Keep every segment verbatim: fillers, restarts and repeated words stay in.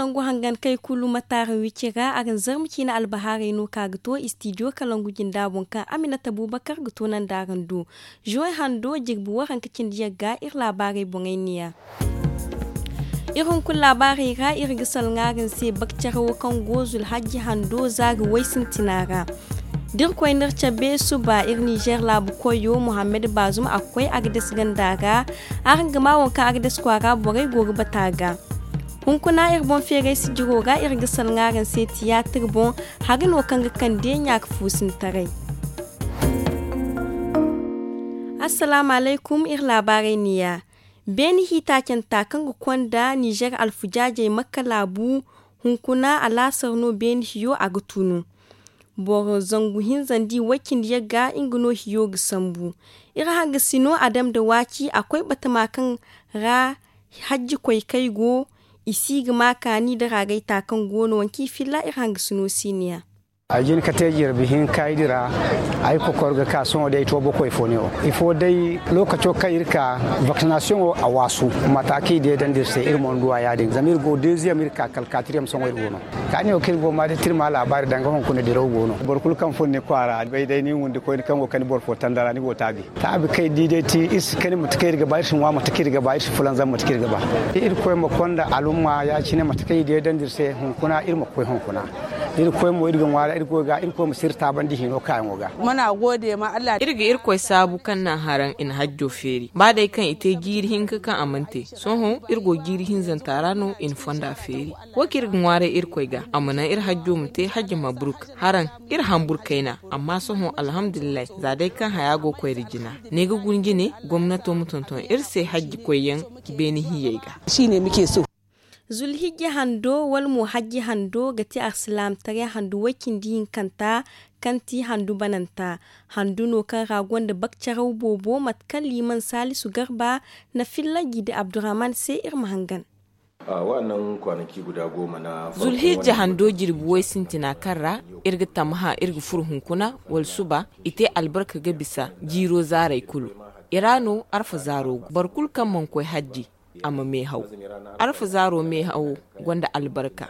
Kaŋ go hangan kay kulu ma taara wici ra araŋ zarma ciine albahaarey no ka ga to istidiyo kalangu jinda boŋ kaŋ aminata bubakar ga to nanda araŋ do. Zuway hando jirbi waranka cindi yagga iri laabaarey boŋey neeya. Iri hunkuna laabaarey ra iri ga salŋa araŋ se bakcarawo kaŋ go zulhajji hando zaari way sintina ra. Da iri koy n'iri cabe suba iri nizer laabu koyo muhammad baazum a ga koy agades ganda ra. Araŋ ga maa waŋ kaŋ agades kwaara borey go ga bata ga. Hunkuna iri boŋ feeray sijiro ra iri ga salŋa araŋ se tiyaatir boŋ. Hari no kaŋ ga kande ɲaaka fuusintaray. Assalaamu alaykum iri laabaarey neeya. Beene hiitaacanta kaŋ ga konda nizer alfujaajey makka laabu. Hunkuna alaasar no beene hiyo a ga tunu. Boro zangu hinza nda i way cindi yagga nga no hiyo ga sambu. Iri hangasino a dam nda waaci a koy batama kaŋ ra hajji koy kay go. I si ga ma kaani nda raagay ta kaŋ go no waŋ kaŋ i filla iri hangasino si neeya. Ay jin ka te jirbi hinka ay dira. Ay kokor ga ka sohõ day to bokoy fo ne wo ifo day. Lookaco kaŋ iri ka vaksinasiyoŋo a waasu. Mata kaŋ i deedandi iri se iri mo ni duwa ya- din zama iri go deeziyam iri ka kala kaatiriyam sohõ iri go no. Kaani wo kaŋ iri go ma day tirma laabaari danga hunkuna diraw go no boro kulu kaŋ fun ni kwaara bay day ni wundi koyne kaŋ go kani boro fo tandara ni go taabi. Taabi kaŋ iri di day ti iri si kani mate kaŋ iri ga ba iri si ŋwa mate kaŋ iri ga ba iri si fulanzam mate kaŋ iri ga ba. Irkoy ma konda alumma ya- cine mate kaŋ i deedandi iri se hunkuna iri ma koy hunkuna. Irkoy mo iri ga ŋwaara iri goy ga irkoy ma si iri taabandi hino kaayaŋo ga. Mana goode ma allah. Iri ga irkoy saabu kaŋ naŋ haraŋ i na hajjo feeri ba day kaŋ i te jiiri hinka kaŋ a mana te. Sohõ iri go jiiri hinzanta ra no i na fonda feeri. Wo kaŋ iri ga ŋwaaray irkoy ga a ma naŋ iri hajjo ma te hajji mabruk. Haraŋ iri hambur kayna. Amma sohõ alhamdulillahi za day kaŋ haya go koyra jina. Ne ga guna jine gomnato ma tonton iri se hajji koyyaŋ. Beene hiyey ga. Zulhijja hando wala mo hajji hando ga ti alsilaamataray handu way cindi hinkanta. Kaŋ ti handu bananta handu no kaŋ ra gonda bakcaraw boobo mate kaŋ liiman saalisu garba na filla gidi abdurrahman se iri ma hangan. Zulhijja hando jirbi way sintina kaŋ ra iri ga tammaha iri ga furo hunkuna wala suba i te albarka ga bisa jiiro zaaray kulu. I ra no arfa zaaro go boro kulu kaŋ mana koy hajji a ma meehaw. Arfa zaaro meehawo gonda albarka.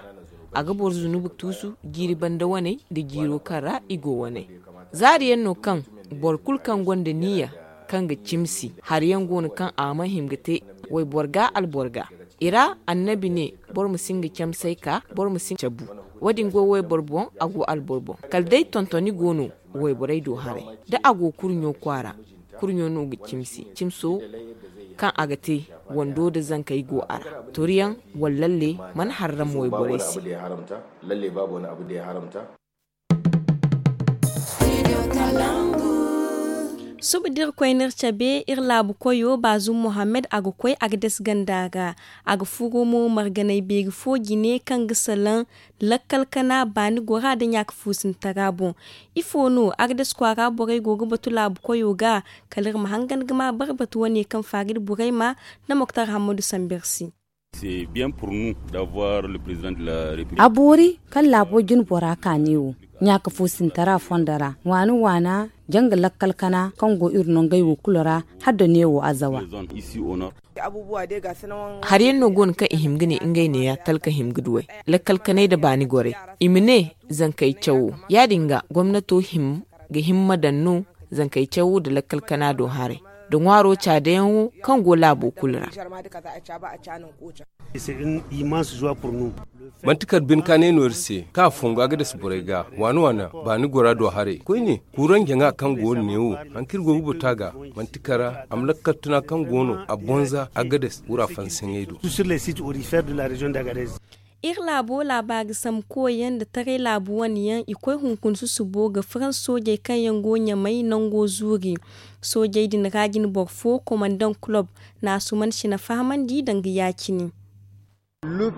A ga boro zunubu tuusu jiiri banda waney nda jiiro kaŋ ra i go waney. Zaari yaŋ no kaŋ boro kulu kaŋ gonda niya kaŋ ga cimsi hari yaŋ go no kaŋ a mana hima ga te wayboro ga alboro ga. I ra annabi ne boro ma si nga camsey ka boro ma si cabu. Wo- din go wayboro boŋ a go alboro boŋ kala day tontoni go no. Wayborey do haray da a go kurɲo kwaara. Kurɲo no ga cimsi cimso kaŋ a ga te wando nda zankey go a ra. Toriyaŋ wala lalle mana harram wayborey se. Suba da iri koy n'iri cabe iri laabu koyo baazum muhammad a ga koy agades ganda ra. A ga furo mo marganay beeri fo jine kaŋ ga salaŋ lakkal kana baani gora nda ɲaaka fuusintara boŋ. Ifo no agades kwaara borey go ga batu laabu koyo ga? Kala iri ma hangan ga ma barbatu wane kaŋ faari nda borey ma nda moktar hammadu sambu iri se. A boori kaŋ laabo jine bora ka neewo ɲaaka fuusintara fondo ra waana waana janga lakkal kana kaŋ go iri nongey wo kulu ra. Hala da neewo azawa. Hari yaŋ no go no kaŋ i hima ga ne ngey neeya talka hima ga duwey lakkal kanay nda baani gorey. I ma ne zankey cawo ya- din ga gomnato hima ga hima ma daŋ no zankey cawo nda lakkal kana do haray nda ŋwaaro caadayaŋo kaŋ go laabo kulu ra. Manti kala bine kaanay no iri se kaŋ a fongu agades borey ga waana waana baani gora do haray koyne kuuraŋ jaŋa kaŋ go no neewo. Hari kaŋ iri go ga batu a ga manti kala a ma lakkal tuna kaŋ go no a bonza agades wura fansaŋey do. Iri laabo laabaari sambu koyyaŋ nda taray laabu wane yaŋ i koy hunkuna susubo ga farans soojey kaŋ yaŋ go ɲamay nango zuuri. Soojey din ra jine boro fo komandaŋ kulob na asuman sina fahamandi danga ya- cine. Iri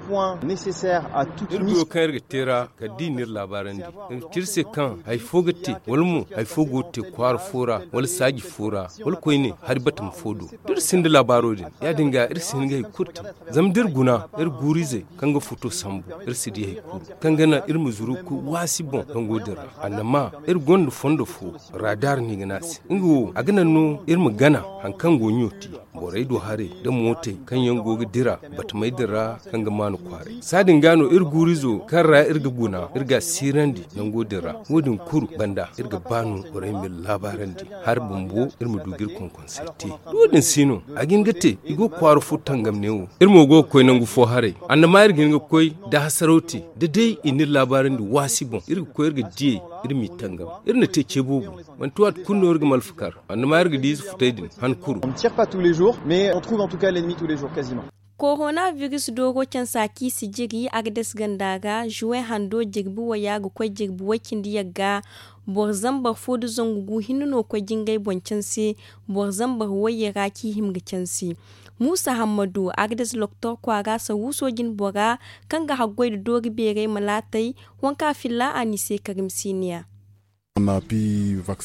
goyo kaŋ iri ga te ra kala da i n'iri laabaarandi iri ga ci iri se kaŋ hari fo ga te wala mo hari fo go ga te kwaara fo ra wala saaji fo ra wala koyne hari batama fo do. Da iri sinda laabaaro din ya- din ga iri si hin ga hari kulu te. Zama da iri guna iri guuru-izey kaŋ ga futo sambu iri si di hari kulu kaŋ ga naŋ iri ma zuru ga koy waasi boŋ nango din ra. Annama iri gonda fondo fo raadaar no i ga ne a se nga wo a ga naŋ no iri ma gana hari kaŋ go ɲo te. Borey du haray nda mootey kaŋ yaŋ go ga dira batamey din ra, kaŋ ga maanu kwaaray. Saadin ga no iri guurizo kaŋ ra iri ga guna, iri ga a siirandi nango din ra. Wo- din kulu banda iri ga ba no borey ma iri laabaarandi, hari bumbo iri ma du ga iri konkonsey te. Da wo- din si no, a ga hin ga te i go ga kwaara fo tangam neewo. Iri mo go ga koy nangu fo haray. Annama iri ga hin ga koy da hasaraw te, da day i na iri laabaarandi waasi boŋ, iri ga koy iri ga diyey, iri m'i tangam. Iri na te ce boobo. Manti waati kulu no iri ga malfa kar. Annama iri ga di ize futey din han kuru. Korona virus dooro cansa kaŋ i si jiri agades ganda ga, juwe hando jirbi waya ga koy jirbi way cindi yagga. Boro zambar fo nda zangu gu hinne no koy jingay boŋ canse. Boro zambar wayye ra kaŋ i hima ga canse. Muusa hammadu agades loktor kwaara sawuuso jine bora, kaŋ ga haggoy nda doori beeray malaatey. Wanka filla a n'i se karim siniya.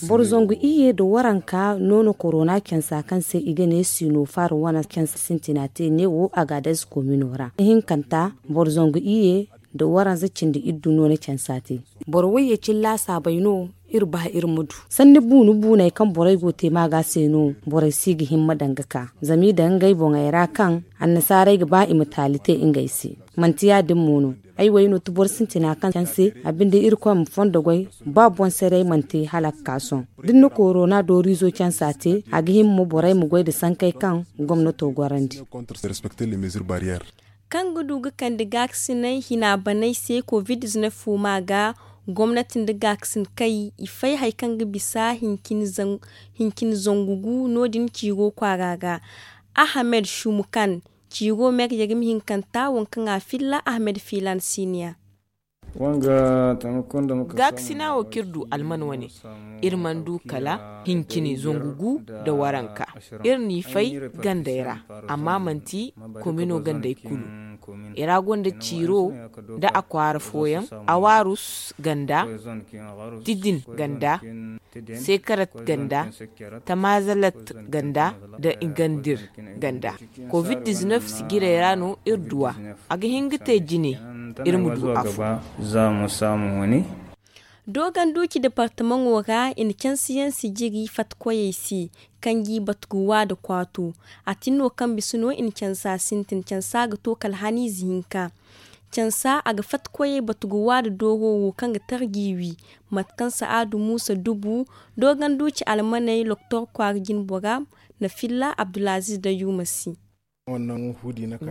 Boro zangu iyye nda waranka no na korona cansa kaŋ se i ga ne sinofar wane cansa sintina te neewo agades komino ra. Ihinkanta boro zangu iyye nda waranza cindi iddu no na cansa te. Boro wayye cilla saabay no. Iri ba iri ma du sanni buunu buuney kaŋ borey go te maaga se no. Borey si ga himma daŋ ga ka zama i daŋ ngey boŋey ra kaŋ annasaaray ga ba i ma taali te ngey se. Manti ya- din mo no. Ay way no ti boro sintina kaŋ canse. A binde irkoy ma fondo goy. Ba boŋ saray manti hala ga ka sohõ. Da ni na korona dooriizo cansa te, a ga hima mo borey ma goy nda sankey kaŋ gomnato gorandi. Kaŋ ga du ga kande gaakasinay hina baney se covid diznef fuuma ga. Gomnati nda gaakasin kay i fay hari kaŋ ga bisa hincin zangu gu no- din ciiro kwaara ga. Ahamed shumukan ciiro meryagim hinkanta waŋ kaŋ a filla ahamed fiilan siniya. Gaakasina wo kaŋ iri du alman wane, iri mana du kala hincini zangu gu nda waranka. Iri n'i fay gandey ra, amma manti komino gandey kulu. I ra gonda ciiro nda a kwaara fooyaŋ, awarus ganda, tidin ganda, sekarat ganda, tamazalat ganda, nda ingandir ganda. Covid diznef sijirey ra no iri duw'a. A ga hin ga te jine iri ma du afo. Dooganduuci departamaŋo ra i na cansiyaŋ sijiri fattakoyey se, kaŋ g'i batu ga wa nda kwaato. A tin no kaŋ bisa no i na cansa sintin cansa ga to kala haniize hinka. Cansa a ga fattakoyey batu ga wa nda dooro wo kaŋ ga tarji wi. Mate kaŋ sa'adu muusa dubu dooganduuci almaney loktor kwaara jinbora, na filla abdulaziz da yuma se.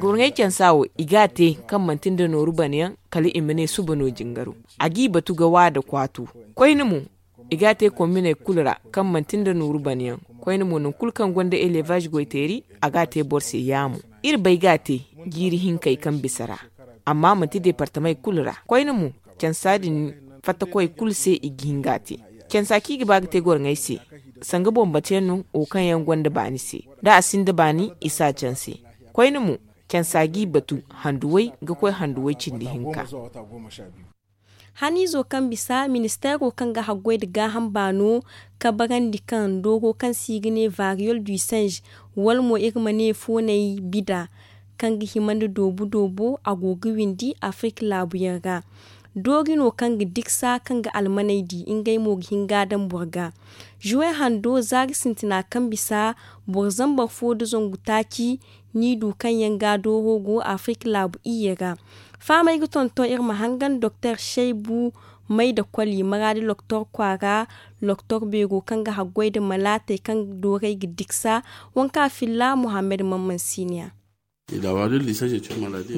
Gurŋey cansa wo i g'a te kaŋ manti nda nooru banayaŋ, kala i ma ne suba no jingaro. A g'i batu ga wa nda kwaato. Koyne mo, i g'a te komminey kulu ra kaŋ manti nda nooru banayaŋ. Koyne mo nangu kulu kaŋ gonda elevaz goyteeri, a g'a te boro se yaamo. Iri bay g'a te jiiri hinkey kaŋ bisa ra, amma manti departamey kulu ra. Koyne mo, cansa din fattakoy kulu se i ga hin g'a te. Cansa kaŋ i ga ba ga te goroŋey se, sanga boŋ batuyaŋ no wo kaŋ yaŋ gonda baani se. Da a sinda baani, i s'a canse. Koyne mo, cansa g'i batu handuwey ga koy handuwey cindi hinka. Haniizo kaŋ bisa ministeero kaŋ ga haggoy nda gaaham baano kabarandi kaŋ dooro kaŋ se i ga ne variyol du singe, wala mo iri ma ne foonay bida, kaŋ ga hima nda doobu doobo a go ga windi afirik laabuyaŋ ra. Doori no kaŋ ga diksa kaŋ ga almaney di ngey mo ga hin ga a daŋ boro ga. Juwe hando zaari sintina kaŋ bisa boro zambar fo nda zangu taaci, ni du kaŋ yaŋ ga dooro go afirik laabu iyye ra. Fahamey ga tonton iri ma hangan doktor shaybu may da koli maraadi loktor kwaara, loktor beero kaŋ ga haggoy nda malaatey kaŋ doorey ga diksa. Wanka filla muhammad mamman siniya.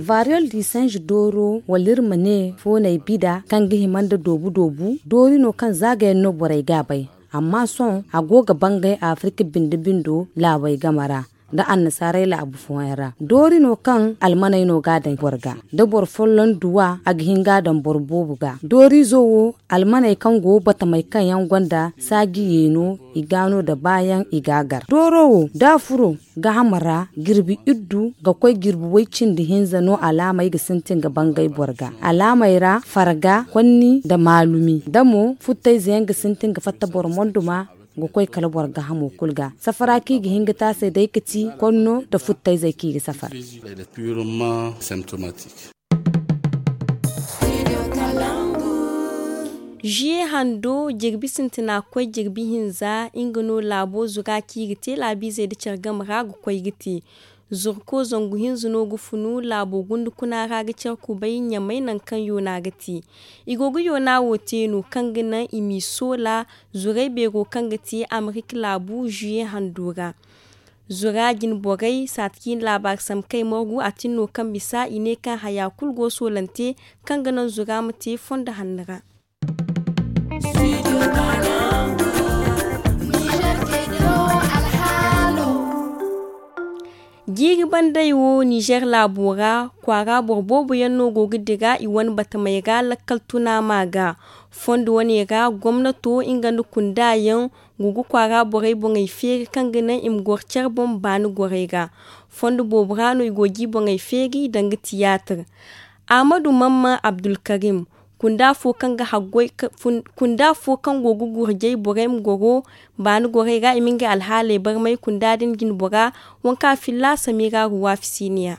Variyol di sanji dooro wala iri ma ne foonay bida kaŋ ga hima nda doobu doobu doori no kaŋ zaagayaŋ no borey ga a bay. Amma sohõ a go ga bangay afirik binde bindo laabey game ra, nda annasaarey laabu fooyaŋ ra doori no kaŋ almaney no ga a daŋ boro ga. Da boro folloŋ du a, a ga hin ga a daŋ boro boobo ga. Dooriizo wo, almaney kaŋ go batamey kaŋ yaŋ gonda saaji yeeno, i ga no nda baayaŋ i ga a gar dooro wo da a furo. Gaaham ra jirbi iddu ga koy jirbi way cindi hinza no alaamey ga sintin ga bangay boro ga. Alaamey ra farga, konni nda maalumi da mo futtayze yaŋ ga sintin ga fatta boro monduma. Ga koy kala boro gaahamo kulu ga safara kaŋ i ga hin ga te a se day ga ti konno nda futtayzey kaŋ i ga safar. Ziye hando jirbi sintina koy jirbi hinza nga no laabo zura kaŋ i ga te laabiizey nda care game ra ga koy ga te. Zurko zangu hinza no ga funu laabo gundu kuna ra ga care kubay ɲamay nangu kaŋ yoona ga te. I go ga yoona wo te no kaŋ ga naŋ i m'i soola zurey beero kaŋ ga te amerika laabu ziye hando ra. Zura jine borey saati kaŋ i na laabaari sambu kay margu a tin no kaŋ bisa i ne kaŋ haya kulu go soolante kaŋ ga naŋ zura ma te fondo hanno ra. Jiiri bandey wo ninzeer laabo ra kwaara boro boobo yaŋ no go ga dira i wane batamey ra lakkal tuna ma ga. Fondo wane ra gomnato nga nda kunda yaŋ go ga kwaara borey boŋey feeri kaŋ ga naŋ i ma goro care boŋ baani gorey ra. Fondo boobo ra no i go ga i boŋey feeri danga tiyaatir. Ahmadu mamman abdulkarim kunda fo kaŋ ga haggoy kunda fo kaŋ go ga gurjay borey ma goro baani gorey ra i ma ngey alhaaley barmay kunda din jine bora. Waŋ kaŋ a filla samira ruwa fisiiniya.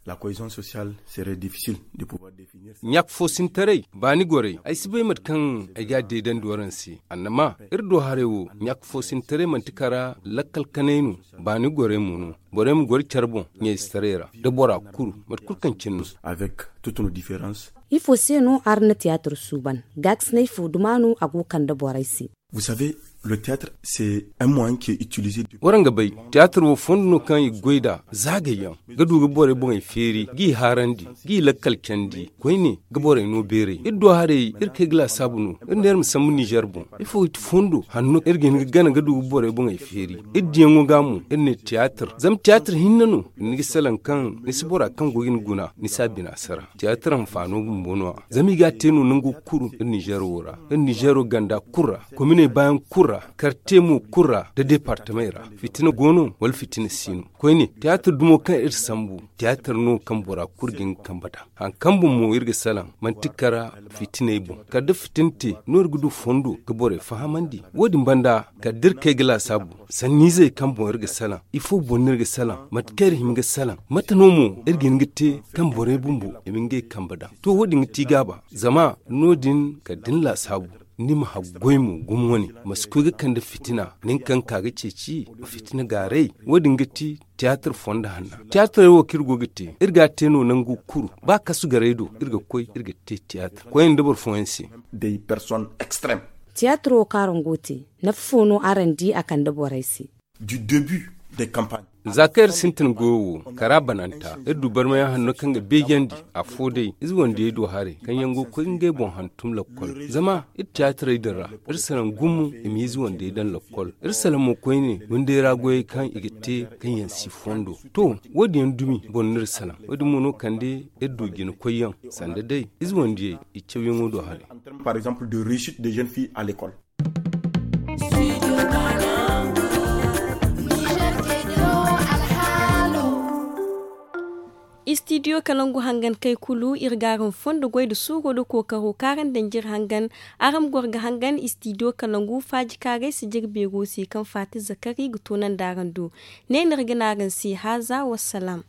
La koyzon sosiyal sere difisil de pouvoir definir. Ɲaaka foosintaray baani gorey ay si bay mate kaŋ ay ga a deedandi waraŋ se. Annama iri do haray wo ɲaaka foosintaray manti kara lakkal kanay no. Baani gorey mo no borey ma goro care boŋ ɲayzetaray ra da bora kuru mate kulu kaŋ cine no. Avec toute nos différences. Ifo se no araŋ na tiyaatir suuban gaakasinay fo duma no a go ga kande borey se? Vous savez, le théâtre c'est un moyen qui est utilisé. Waraŋ ga bay tiyaatir wo fondo no kaŋ i ga goy nd'a zaagay yaŋ ga du ga borey boŋey feeri g'i haarandi g'i lakkal candi koyne ga borey no beeray iri do haray iri kay ga laasaabu no. Iri ne iri ma sambu ninzeer boŋ ifo ga ti fondo hanno iri ga hin ga gana ga du ga borey boŋey feeri. Iri diyaŋo ga mo iri ne tiyaatir zama tiyaatir hinne no ni ga salaŋ kaŋ ni si bora kaŋ go ga ni guna ni si a bina sara. Tiyaatir hanfaano bumbo no- ya zama i ga a te no nango kulu iri ninzeero ra iri ninzeero ganda kulu ra kominey baayaŋ kulu ra karte mo kulu ra nda deepartamey ra. Fitina go no wala fitina si no? Koyne tiyaatir dumo kaŋ iri sambu tiyaatir no kaŋ bora kulu ga hin ga kambe nd'a. Hari kaŋ boŋ mo iri ga salaŋ manti kara fitiney boŋ kala da fitina te no iri ga du fondo ga borey fahamandi. Wo- din banda kala da iri kay ga laasaabu sanniizey kaŋ boŋ iri ga salaŋ ifo boŋ no iri ga salaŋ mate kaŋ iri hima ga salaŋ mate no mo iri ga hin ga te kaŋ borey bumbo i ma ngey kambe daŋ. To wo- din ga ti gaaba zama no- din kala da ni laasaabu ni ma haggoy mo gumo wane ma si koy ga kande fitina nin kaŋ ka ga ceeci fitina gaaray. Wo- din ga ti tiyaatir fondo hanna tiyaatirey wo kaŋ iri go ga te iri ga a te no nangu kuru ba kasu garey do iri ga koy iri ga te tiyaatir koyne nda boro fooyaŋ se. Des personnes extrêmes. Tiyaatir wo kaŋ araŋ go ga te nafa fo no araŋ di a kande borey se? Du début des campagnes. Za kaŋ iri sintin goyo wo kara bananta iri du barmayaŋ hanno kaŋ ga beejandi afo day ize wandiyey do haray kaŋ yaŋ go ga koy ngey boŋ hantum lakkol zama iri tiyaatirey din ra iri salaŋ gumo i ma ize wandiyey daŋ lakkol iri salaŋ mo koyne windey ra goyey kaŋ i ga te kaŋ yaŋ si fondo. To wo- din yaŋ dumi boro no iri salaŋ wo- din mo no kande iri du jina koyyaŋ sanda day ize wandiyey i cawyaŋo do haray. Par exemple de réussite des jeunes filles à l'école. Istidiyo kalangu hangan kay kulu iri ga araŋ fondo goy nda suuro nda kookaro kaŋ araŋ danji iri hangan. Araŋ ma goro ga hangan istidiyo kalangu faaji kaaray sijir beero se kaŋ faati zakari ga toonandi araŋ do. Ne no iri ga ne araŋ se haaza wassalaam.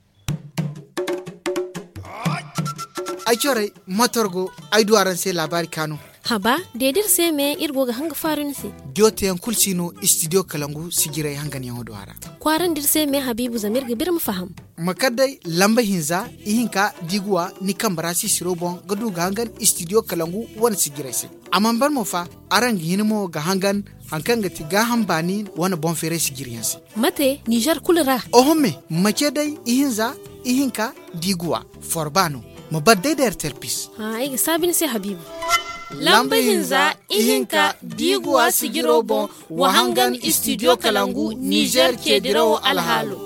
Ay corey motor go ay du araŋ se laabaari kaanu. Haba de da iri se me iri go ga hanga faaru ni se. Jooteyaŋ kulu si no istidiyo kalangu sijirey hanganyaŋo do a ra. Kwaarandi iri se me habiibu zama iri ga ba iri ma faham. Ma kar day lamba hinza ihinka da i ga wa ni kambe ra sisiro boŋ ga du ga hangan istidiyo kalangu wane sijirey se. A mana ban mo fa araŋ ga hin mo ga hangan hari kaŋ ga ti gaaham baani wane boŋ feeray sijiriyaŋ se. Mate ninzeer kulu ra? Oho me ma ce day ihinza ihinka da i ga wa forba no. Ma bar day da rtlpis. Ay ga saabi ni se habiibu. Lamba hinza ihinka da i ga wa sijiro boŋ wa hangan istidiyo kalangu ninzeer ceedirawo alhaalo.